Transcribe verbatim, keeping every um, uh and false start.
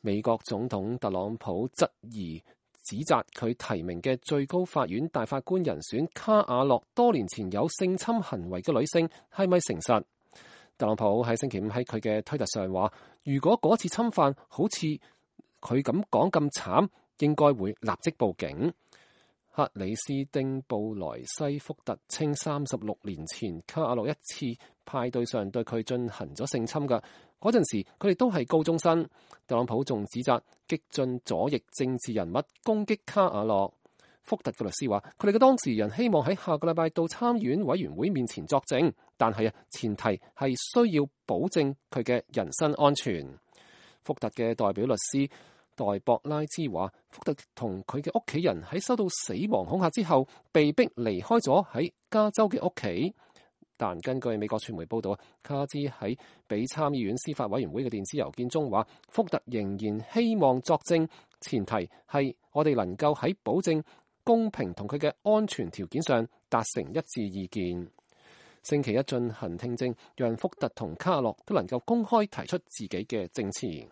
美國總統特朗普質疑指責佢提名嘅最高法院大法官人選卡瓦諾多年前有性侵行為嘅女性係咪誠實？特朗普喺星期五喺佢嘅推特上話，如果嗰次侵犯好似佢咁講咁慘，應該會立即報警。克里斯汀布萊西福特稱，三十六年前卡瓦諾一次派對上對佢進行咗性侵㗎，嗰陣時佢哋都係高中生。特朗普仲指責激進左翼政治人物攻擊卡瓦諾。福特嘅律師話，佢哋嘅當事人希望喺下個禮拜到參議院委員會面前作證，但係啊，前提係需要保證佢嘅人身安全。福特嘅代表律師代博拉茲話，福特同佢嘅屋企人喺收到死亡恐嚇之後，被逼離開咗喺加州嘅屋企。但根據美國傳媒報道，卡茲喺俾參議院司法委員會嘅電子郵件中話，福特仍然希望作證，前提係我哋能夠喺保證公平同佢嘅安全條件上達成一致意見。星期一進行聽證，讓福特同卡洛都能夠公開提出自己嘅證詞。